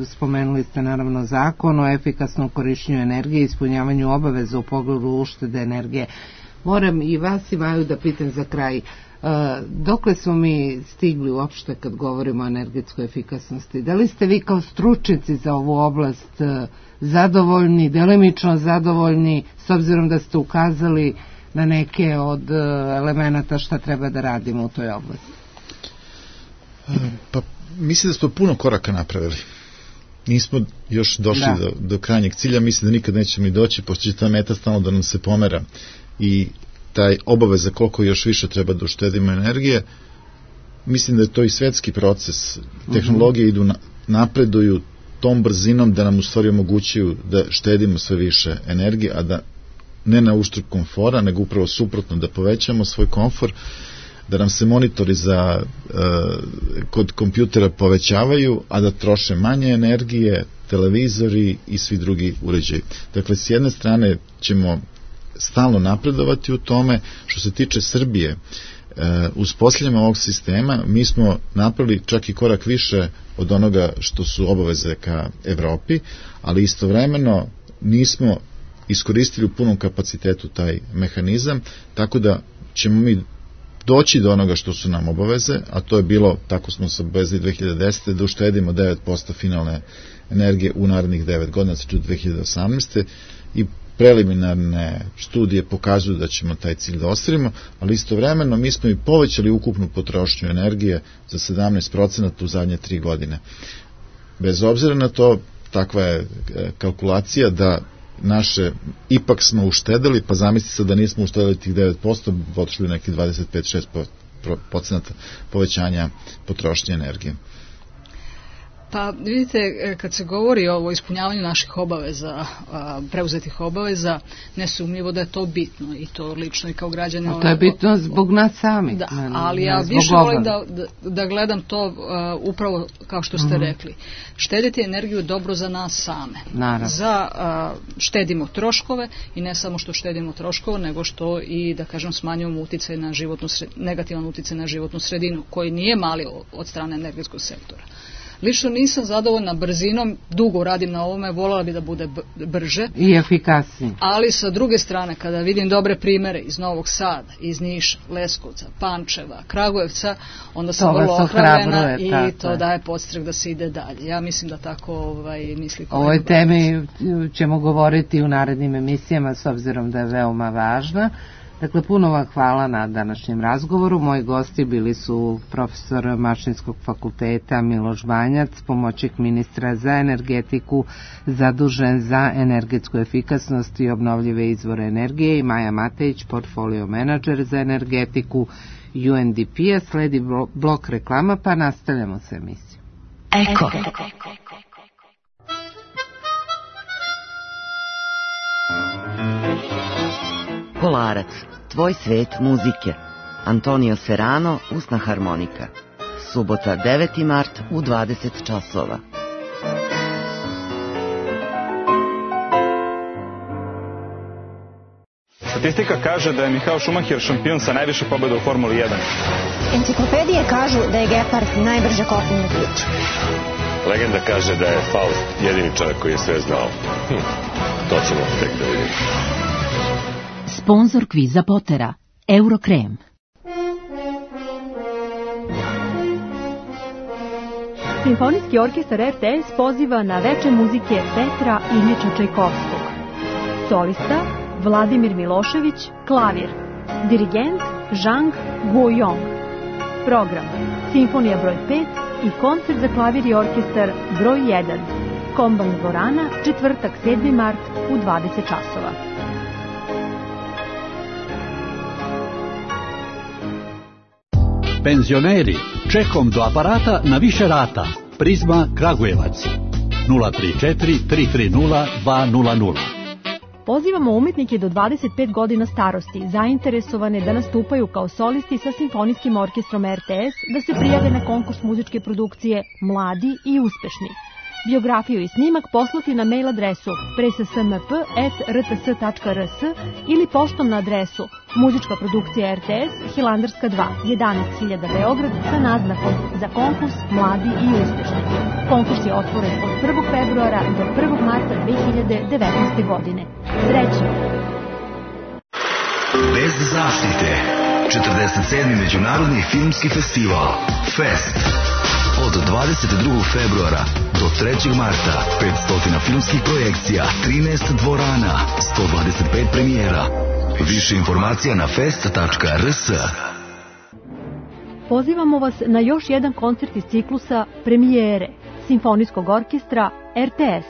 spomenuli ste naravno zakon o efikasnom korišćenju energije i ispunjavanju obaveza u pogledu uštede energije. Moram i vas i Maju da pitam za kraj, dokle smo mi stigli uopšte kad govorimo o energetskoj efikasnosti? Da li ste vi kao stručnjaci za ovu oblast zadovoljni, delimično zadovoljni, s obzirom da ste ukazali na neke od elemenata šta treba da radimo u toj oblasti? Pa mislim da smo puno koraka napravili. Nismo još došli do krajnjeg cilja, mislim da nikad nećemo i doći, pošto će ta meta stalno da nam se pomera i taj obaveza koliko još više treba da uštedimo energije. Mislim da je to i svetski proces. Tehnologije idu napreduju tom brzinom da nam u stvari omogućuju da štedimo sve više energije, a da ne na uštrb komfora, nego upravo suprotno, da povećamo svoj komfor, da nam se monitori kod kompjutera povećavaju, a da troše manje energije, televizori i svi drugi uređaji. Dakle, s jedne strane ćemo stalno napredovati u tome. Što se tiče Srbije, uspostavljanjem ovog sistema mi smo napravili čak i korak više od onoga što su obaveze ka Evropi, ali istovremeno nismo iskoristili u punom kapacitetu taj mehanizam, tako da ćemo mi doći do onoga što su nam obaveze, a to je bilo, tako smo se obavezali 2010. da uštedimo 9% finalne energije u narednih 9 godina, znači 2018. I preliminarne studije pokazuju da ćemo taj cilj da ostvarimo, ali istovremeno mi smo i povećali ukupnu potrošnju energije za 17% u zadnje 3 godine. Bez obzira na to, takva je kalkulacija da ipak smo uštedili, pa zamisli se da nismo uštedili tih 9%, otišli neki 25-6% povećanja potrošnje energije. Pa vidite, kad se govori o ispunjavanju naših obaveza, preuzetih obaveza, nesumnjivo da je to bitno i to lično i kao građane. To je bitno zbog nas sami. Da, ali ja više volim da gledam to upravo kao što ste rekli. Štediti energiju je dobro za nas same. Naravno. Štedimo troškove i ne samo što štedimo troškove, nego što i, da kažem, smanjujemo uticaj na negativan uticaj na životnu sredinu, koji nije mali od strane energetskog sektora. Lično nisam zadovoljna brzinom, dugo radim na ovome, voljela bi da bude brže i efikasnije. Ali sa druge strane, kada vidim dobre primere iz Novog Sada, iz Niša, Leskovca, Pančeva, Kragujevca, onda sam vrlo ohrabrena i to daje podstrek da se ide dalje. Ja mislim da tako misli kolega. O ovoj temi ćemo govoriti u narednim emisijama, s obzirom da je veoma važna. Dakle, puno vam hvala na današnjem razgovoru. Moji gosti bili su profesor Mašinskog fakulteta Miloš Banjac, pomoćnik ministra za energetiku, zadužen za energetsku efikasnost i obnovljive izvore energije, i Maja Matejić, portfolio menadžer za energetiku UNDP-a. Sledi blok reklama, pa nastavljamo sa emisijom. Eko. Kolarac, tvoj svet muzike. Antonio Serrano, usna harmonika. Subota 9. mart u 20 časova. Statistika kaže da je Michael Schumacher šampion sa najviše pobjeda u Formuli 1. Enciklopedije kažu da je Gepard najbrža kopnena priča. Legenda kaže da je Faust jedini čovjek koji je sve znao. To ćemo tek da vidimo. Sponzor kviza Potera, Eurokrem. Simfonijski orkestar RTS poziva na veče muzike Petra Iljiča Čajkovskog. Solista Vladimir Milošević, klavir. Dirigent Zhang Guoyong. Program Simfonija broj 5 i koncert za klavir i orkestar broj 1. Komban dvorana, četvrtak 7. mart u 20 časova. Penzioneri, čekom do aparata na više rata. Prizma Kragujevac 034 330 200. Pozivamo umetnike do 25 godina starosti, zainteresovane da nastupaju kao solisti sa Simfonijskim orkestrom RTS, da se prijave na konkurs muzičke produkcije Mladi i uspešni. Biografiju i snimak poslati na mail adresu presasmp@rts.rs ili poštom na adresu Muzička produkcija RTS, Hilandarska 2, 11.000 Beograd, sa naznakom za konkurs Mladi i uspešni. Konkurs je otvoren od 1. februara do 1. marta 2019. godine. Srećno! Bez zaštite. 47. Međunarodni filmski festival FEST. Od 22. februara do 3. marta 500 filmskih projekcija, 13 dvorana, 125 premijera. Više informacija na fest.rs. Pozivamo vas na još jedan koncert iz ciklusa Premijere Simfonijskog orkestra RTS.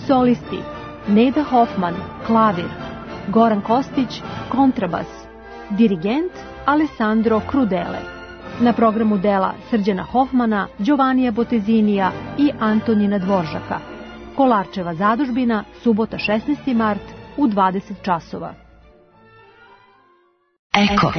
Solisti Neda Hoffman, klavir. Goran Kostić, kontrabas. Dirigent Alessandro Crudele. Na programu dela Srđana Hoffmana, Giovannija Botezinija i Antonina Dvoržaka. Kolarčeva zadužbina, subota 16. mart u 20 časova. Eko.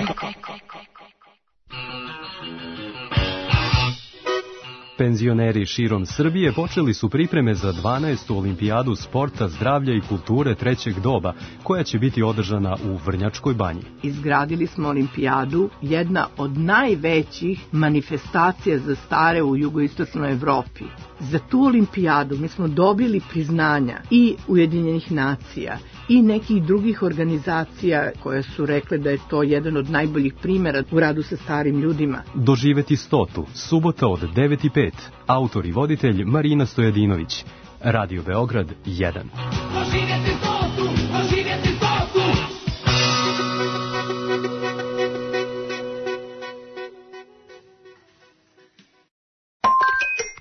Penzioneri širom Srbije počeli su pripreme za 12. olimpijadu sporta, zdravlja i kulture trećeg doba, koja će biti održana u Vrnjačkoj banji. Izgradili smo olimpijadu, jedna od najvećih manifestacija za stare u jugoistočnoj Evropi. Za tu olimpijadu mi smo dobili priznanja i Ujedinjenih nacija i nekih drugih organizacija koje su rekle da je to jedan od najboljih primjera u radu sa starim ljudima. Doživeti 100. subota od 9:05. Autor i voditelj Marina Stojadinović. Radio Beograd 1. Doživeti 100.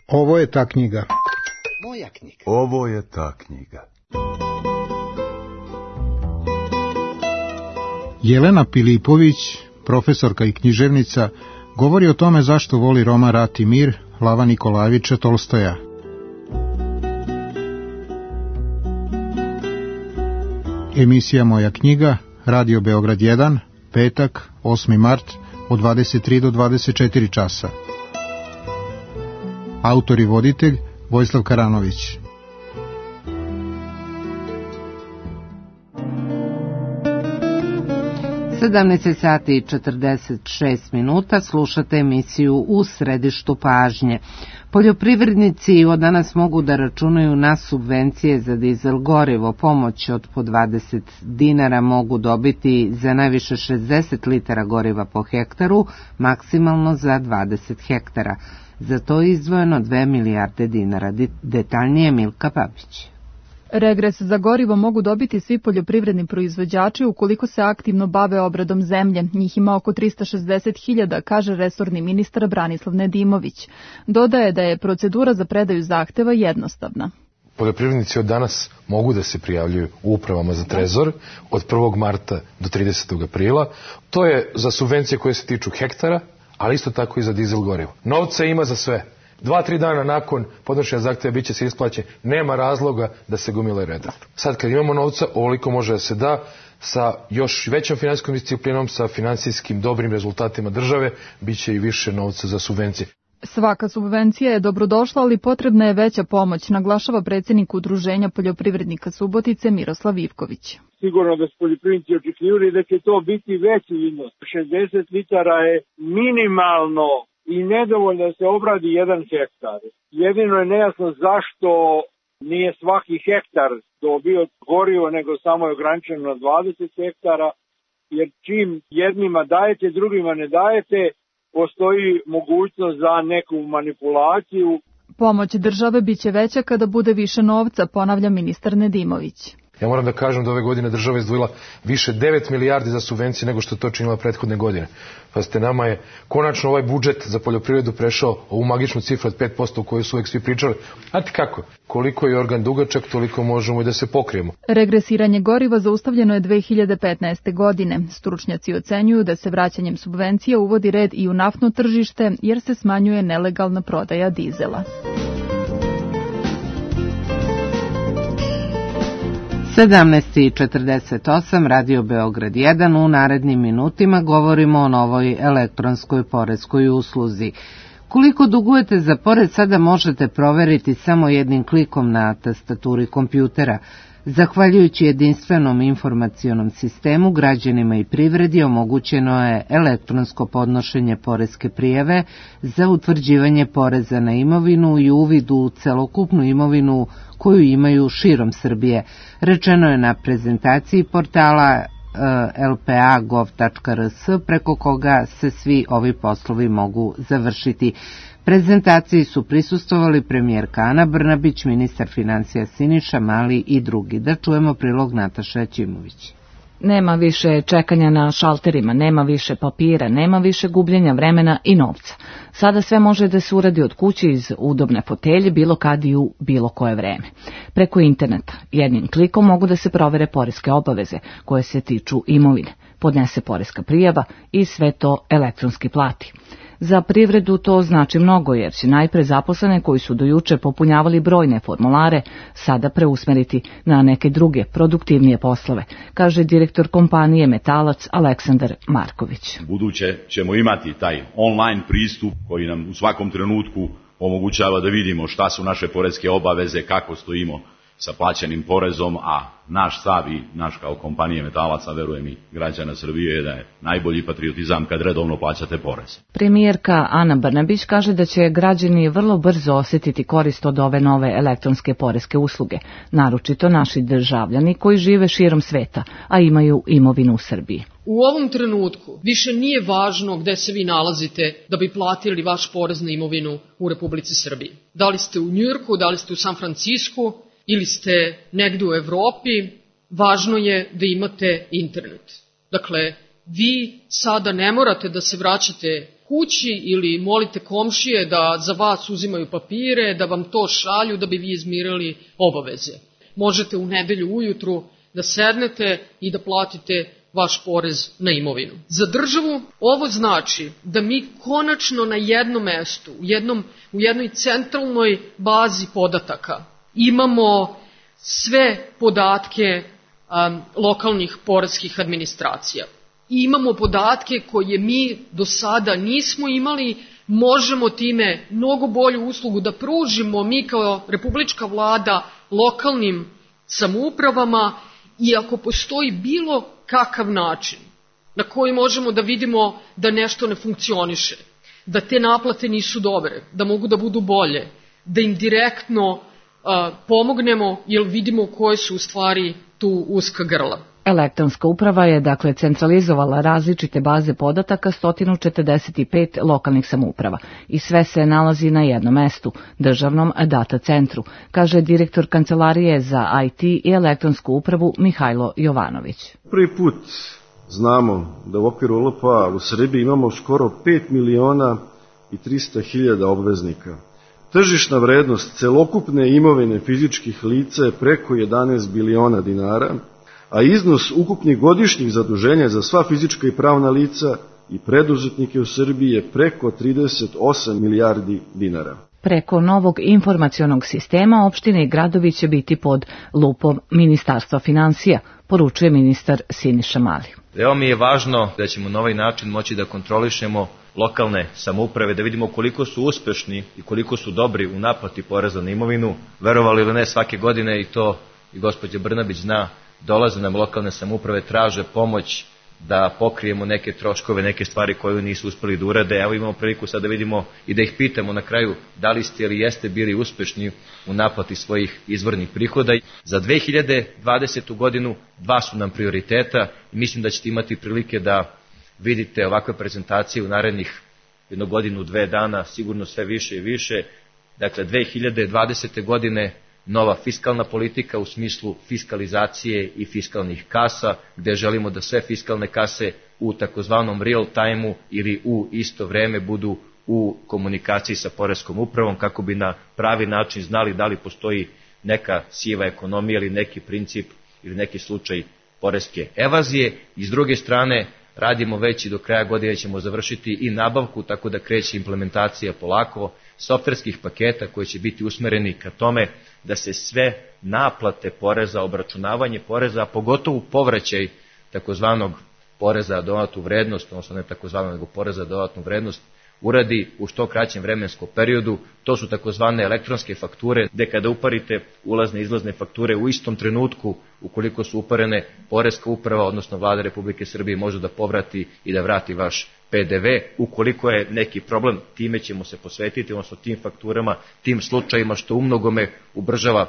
Ovo je ta knjiga. Moja knjiga. Ovo je ta knjiga. Jelena Pilipović, profesorka i književnica, govori o tome zašto voli roman Rat i mir Lava Nikolajevića Tolstoja. Emisija Moja knjiga, Radio Beograd 1, petak, 8. mart, od 23 do 24 časa. Autor i voditelj Vojislav Karanović. sati i 46 minuta, slušate emisiju U središtu pažnje. Poljoprivrednici od danas mogu da računaju na subvencije za dizel gorivo. Pomoć od po 20 dinara mogu dobiti za najviše 60 litara goriva po hektaru, maksimalno za 20 hektara. Za to je izdvojeno 2 milijarde dinara. Detaljnije Milka Babić. Regres za gorivo mogu dobiti svi poljoprivredni proizvođači ukoliko se aktivno bave obradom zemlje. Njih ima oko 360.000, kaže resorni ministar Branislav Nedimović. Dodaje da je procedura za predaju zahteva jednostavna. Poljoprivrednici od danas mogu da se prijavljuju u upravama za trezor od 1. marta do 30. aprila. To je za subvencije koje se tiču hektara, ali isto tako i za dizel gorivo. Novca ima za sve. 2-3 dana nakon podnošenja zahteva bit će se isplaćen. Nema razloga da se gomile reda. Sad kad imamo novca, ovoliko može da se da sa još većom finansijskom disciplinom, sa finansijskim dobrim rezultatima države, bit će i više novca za subvencije. Svaka subvencija je dobrodošla, ali potrebna je veća pomoć, naglašava predsjednik Udruženja poljoprivrednika Subotice Miroslav Ivković. Sigurno da su poljoprivrednici očekivali da će to biti veći iznos. 60 litara je minimalno i nedovoljno da se obradi 1 hektar. Jedino je nejasno zašto nije svaki hektar dobio gorivo, nego samo je ograničeno na 20 hektara, jer čim jednima dajete, drugima ne dajete, postoji mogućnost za neku manipulaciju. Pomoć države biće veća kada bude više novca, ponavlja ministar Nedimović. Ja moram da kažem da ove godine država izdvojila više 9 milijardi za subvencije nego što to činila prethodne godine. Pa nama je konačno ovaj budžet za poljoprivredu prešao ovu magičnu cifru od 5% u kojoj su uvek svi pričali. Znate kako? Koliko je organ dugačak, toliko možemo i da se pokrijemo. Regresiranje goriva zaustavljeno je 2015. godine. Stručnjaci ocenjuju da se vraćanjem subvencija uvodi red i u naftno tržište jer se smanjuje nelegalna prodaja dizela. 17:48, Radio Beograd 1, u narednim minutima govorimo o novoj elektronskoj poreskoj usluzi. Koliko dugujete za porez sada možete proveriti samo jednim klikom na tastaturi kompjutera. Zahvaljujući jedinstvenom informacionom sistemu, građanima i privredi omogućeno je elektronsko podnošenje poreske prijave za utvrđivanje poreza na imovinu i uvid u celokupnu imovinu koju imaju širom Srbije. Rečeno je na prezentaciji portala lpa.gov.rs preko koga se svi ovi poslovi mogu završiti. Prezentaciji su prisustvovali premijerka Ana Brnabić, ministar finansija Siniša Mali i drugi. Da čujemo prilog Nataše Aćimović. Nema više čekanja na šalterima, nema više papira, nema više gubljenja vremena i novca. Sada sve može da se uradi od kuće iz udobne fotelje, bilo kad i u bilo koje vreme. Preko interneta, jednim klikom mogu da se provere poreske obaveze koje se tiču imovine, podnese poreska prijava i sve to elektronski plati. Za privredu to znači mnogo jer će najpre zaposlene koji su do juče popunjavali brojne formulare sada preusmeriti na neke druge, produktivnije poslove, kaže direktor kompanije Metalac Aleksandar Marković. Buduće ćemo imati taj online pristup koji nam u svakom trenutku omogućava da vidimo šta su naše poreske obaveze, kako stojimo sa plaćenim porezom, a naš stav i naš kao kompanije Metalaca, verujem i građana Srbije, da je najbolji patriotizam kad redovno plaćate porez. Premijerka Ana Brnabić kaže da će građani vrlo brzo osjetiti korist od ove nove elektronske poreske usluge, naročito naši državljani koji žive širom sveta, a imaju imovinu u Srbiji. U ovom trenutku više nije važno gde se vi nalazite da bi platili vaš porez na imovinu u Republici Srbiji. Da li ste u Njujorku, da li ste u San Francisku, ili ste negde u Evropi, važno je da imate internet. Dakle, vi sada ne morate da se vraćate kući ili molite komšije da za vas uzimaju papire, da vam to šalju da bi vi izmirali obaveze. Možete u nedelju ujutru da sednete i da platite vaš porez na imovinu. Za državu ovo znači da mi konačno na jednom mestu, u jednoj centralnoj bazi podataka imamo sve podatke lokalnih poreskih administracija. I imamo podatke koje mi do sada nismo imali, možemo time mnogo bolju uslugu da pružimo mi kao republička vlada lokalnim samoupravama i ako postoji bilo kakav način na koji možemo da vidimo da nešto ne funkcioniše, da te naplate nisu dobre, da mogu da budu bolje, da im direktno pomognemo jer vidimo koje su u stvari tu uska grla. Elektronska uprava je dakle centralizovala različite baze podataka 145 lokalnih samouprava i sve se nalazi na jednom mestu, državnom data centru, kaže direktor Kancelarije za IT i elektronsku upravu Mihajlo Jovanović. Prvi put znamo da u okviru LPA u Srbiji imamo skoro 5.300.000 obveznika. Tržišna vrednost celokupne imovine fizičkih lica je preko 11 biliona dinara, a iznos ukupnih godišnjih zaduženja za sva fizička i pravna lica i preduzetnike u Srbiji je preko 38 milijardi dinara. Preko novog informacionog sistema opštine i gradovi će biti pod lupom Ministarstva finansija, poručuje ministar Siniša Mali. Veoma mi je važno da ćemo na ovaj način moći da kontrolišemo lokalne samouprave, da vidimo koliko su uspešni i koliko su dobri u naplati poreza na imovinu. Verovali ili ne, svake godine, i to i gospođa Brnabić zna, dolaze nam lokalne samouprave, traže pomoć da pokrijemo neke troškove, neke stvari koje nisu uspeli da urade. Evo imamo priliku sad da vidimo i da ih pitamo na kraju da li ste ili jeste bili uspešni u naplati svojih izvornih prihoda. Za 2020. godinu 2 su nam prioriteta i mislim da ćete imati prilike da vidite ovakve prezentacije u narednih 1 godinu, 2 dana, sigurno sve više i više. Dakle, 2020. godine nova fiskalna politika u smislu fiskalizacije i fiskalnih kasa, gde želimo da sve fiskalne kase u takozvanom real time-u ili u isto vreme budu u komunikaciji sa poreskom upravom, kako bi na pravi način znali da li postoji neka siva ekonomija ili neki princip ili neki slučaj poreske evazije. I s druge strane, radimo već i do kraja godine ćemo završiti i nabavku, tako da kreće implementacija polako softverskih paketa koji će biti usmereni ka tome da se sve naplate poreza, obračunavanje poreza, a pogotovo povraćaj takozvanog poreza na dodatnu vrednost, odnosno ne takozvanog nego poreza na dodatnu vrednost, uradi u što kraćem vremenskom periodu. To su takozvane elektronske fakture, gde kada uparite ulazne i izlazne fakture u istom trenutku, ukoliko su uparene, poreska uprava, odnosno Vlada Republike Srbije može da povrati i da vrati vaš PDV. Ukoliko je neki problem, time ćemo se posvetiti, odnosno tim fakturama, tim slučajima, što umnogome ubržava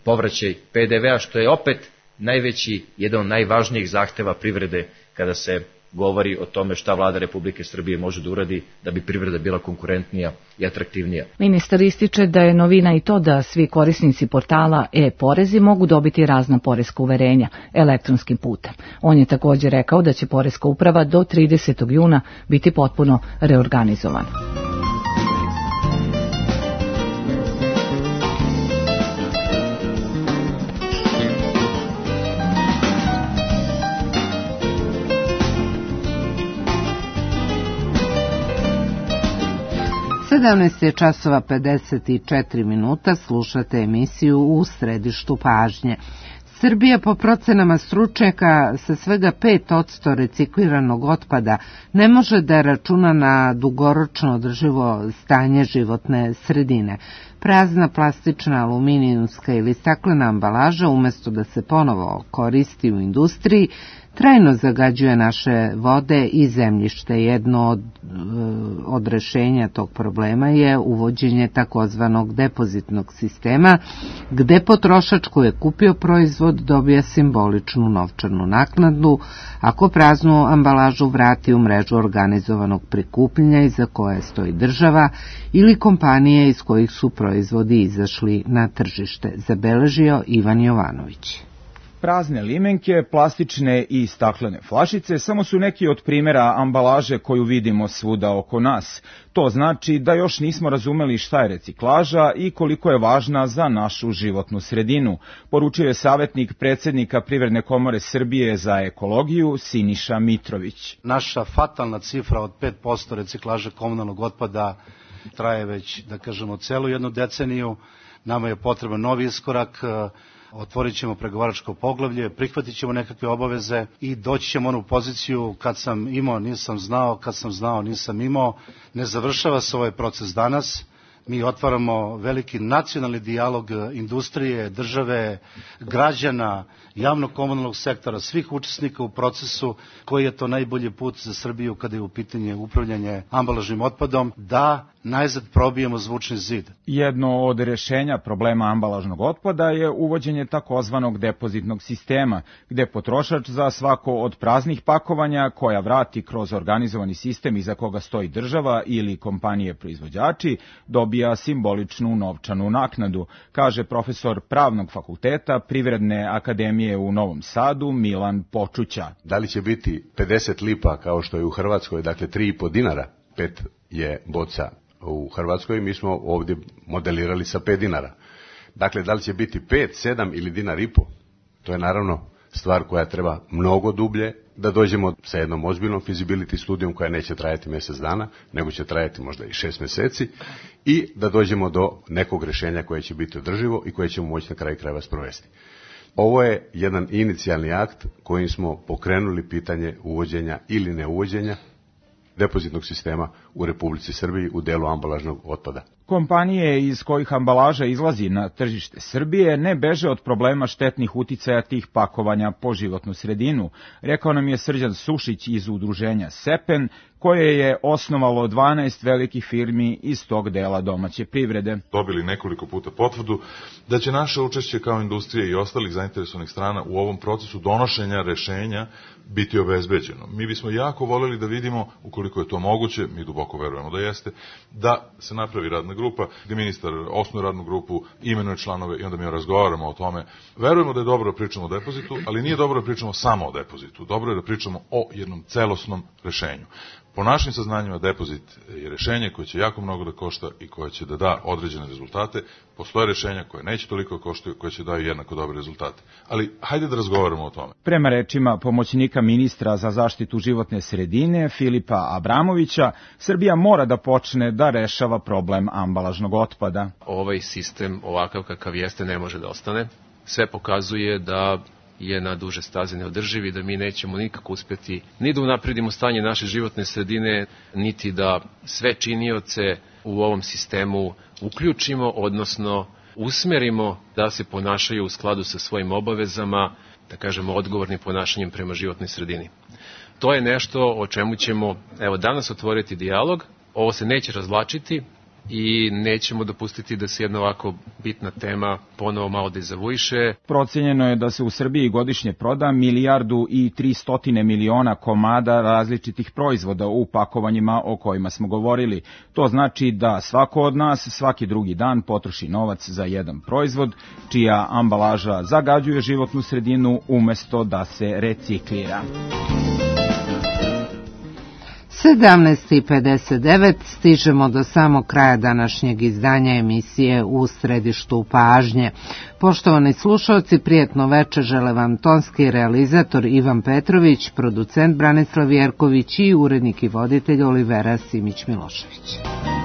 povraćaj PDV-a, što je opet najveći, jedan od najvažnijih zahteva privrede kada se govori o tome šta Vlada Republike Srbije može da uradi da bi privreda bila konkurentnija i atraktivnija. Ministar ističe da je novina i to da svi korisnici portala e-porezi mogu dobiti razna poreska uverenja elektronskim putem. On je također rekao da će poreska uprava do 30. juna biti potpuno reorganizovana. Je časova 54 minuta, slušate emisiju U središtu pažnje. Srbija po procenama stručnjaka sa svega 5% recikliranog otpada ne može da računa na dugoročno održivo stanje životne sredine. Prazna plastična, aluminijumska ili staklena ambalaža, umjesto da se ponovo koristi u industriji, trajno zagađuje naše vode i zemljište. Jedno od rešenja tog problema je uvođenje takozvanog depozitnog sistema, gde potrošač koji je kupio proizvod dobija simboličnu novčanu naknadu ako praznu ambalažu vrati u mrežu organizovanog prikupljanja iza koje stoji država ili kompanije iz kojih su proizvodi izašli na tržište, zabeležio Ivan Jovanović. Prazne limenke, plastične i staklene flašice samo su neki od primjera ambalaže koju vidimo svuda oko nas. To znači da još nismo razumeli šta je reciklaža i koliko je važna za našu životnu sredinu, poručio je savjetnik predsjednika Privredne komore Srbije za ekologiju Siniša Mitrović. Naša fatalna cifra od 5% reciklaže komunalnog otpada traje već, da kažemo, celu jednu deceniju. Nama je potreban novi iskorak, otvorit ćemo pregovaračko poglavlje, prihvatit ćemo nekakve obaveze i doći ćemo u onu poziciju kad sam imao, nisam znao, kad sam znao, nisam imao. Ne završava se ovaj proces danas. Mi otvaramo veliki nacionalni dijalog industrije, države, građana, javnog komunalnog sektora, svih učesnika u procesu, koji je to najbolji put za Srbiju kada je u pitanje upravljanje ambalažnim otpadom, da najzad probijemo zvučni zid. Jedno od rješenja problema ambalažnog otpada je uvođenje takozvanog depozitnog sistema, gde potrošač za svako od praznih pakovanja koja vrati kroz organizovani sistem iza koga stoji država ili kompanije proizvođači, dobija simboličnu novčanu naknadu, kaže profesor Pravnog fakulteta Privredne akademije u Novom Sadu Milan Počuća. Da li će biti 50 lipa kao što je u Hrvatskoj, dakle 3,5 dinara, 5 je boca u Hrvatskoj, mi smo ovdje modelirali sa 5 dinara. Dakle, da li će biti 5, 7 ili dinar i po, to je naravno stvar koja treba mnogo dublje, da dođemo sa jednom ozbiljnom feasibility studijom koja neće trajati mjesec dana, nego će trajati možda i 6 mjeseci i da dođemo do nekog rješenja koje će biti održivo i koje ćemo moći na kraju krajeva sprovesti. Ovo je jedan inicijalni akt kojim smo pokrenuli pitanje uvođenja ili neuvođenja depozitnog sistema u Republici Srbiji u delu ambalažnog otpada. Kompanije iz kojih ambalaža izlazi na tržište Srbije ne beže od problema štetnih uticaja tih pakovanja po životnu sredinu, rekao nam je Srđan Sušić iz udruženja Sepen, koje je osnovalo 12 velikih firmi iz tog dela domaće privrede. Dobili nekoliko puta potvrdu da će naše učešće kao industrije i ostalih zainteresovanih strana u ovom procesu donošenja rešenja biti obezbeđeno. Mi bismo jako voljeli da vidimo, ukoliko je to moguće, mi duboko verujemo da jeste, da se napravi radna grupa, gdje ministar osnuje radnu grupu, imenuje članove i onda mi razgovaramo o tome. Verujemo da je dobro da pričamo o depozitu, ali nije dobro da pričamo samo o depozitu. Dobro je da pričamo o jednom celosnom rešenju. Po našim saznanjima depozit je rešenje koje će jako mnogo da košta i koje će da da određene rezultate. Postoje rešenja koje neće toliko koštaju, koje će daju jednako dobre rezultate. Ali hajde da razgovaramo o tome. Prema rečima pomoćnika ministra za zaštitu životne sredine Filipa Abramovića, Srbija mora da počne da rešava problem ambalažnog otpada. Ovaj sistem ovakav kakav jeste ne može da ostane. Sve pokazuje da je na duže staze neodrživ i da mi nećemo nikako uspjeti ni da unapredimo stanje naše životne sredine, niti da sve činioce u ovom sistemu uključimo, odnosno usmerimo da se ponašaju u skladu sa svojim obavezama, da kažemo odgovornim ponašanjem prema životnoj sredini. To je nešto o čemu ćemo danas otvoriti dijalog. Ovo se neće razvlačiti i nećemo dopustiti da se jedna ovako bitna tema ponovo malo dezavuiše. Procenjeno je da se u Srbiji godišnje proda 1,3 milijarde komada različitih proizvoda u pakovanjima o kojima smo govorili. To znači da svako od nas svaki drugi dan potroši novac za jedan proizvod, čija ambalaža zagađuje životnu sredinu umjesto da se reciklira. 17:59 stižemo do samog kraja današnjeg izdanja emisije U središtu pažnje. Poštovani slušalci, prijetno večer žele vam tonski realizator Ivan Petrović, producent Branislav Jerković i urednik i voditelj Olivera Simić-Milošević.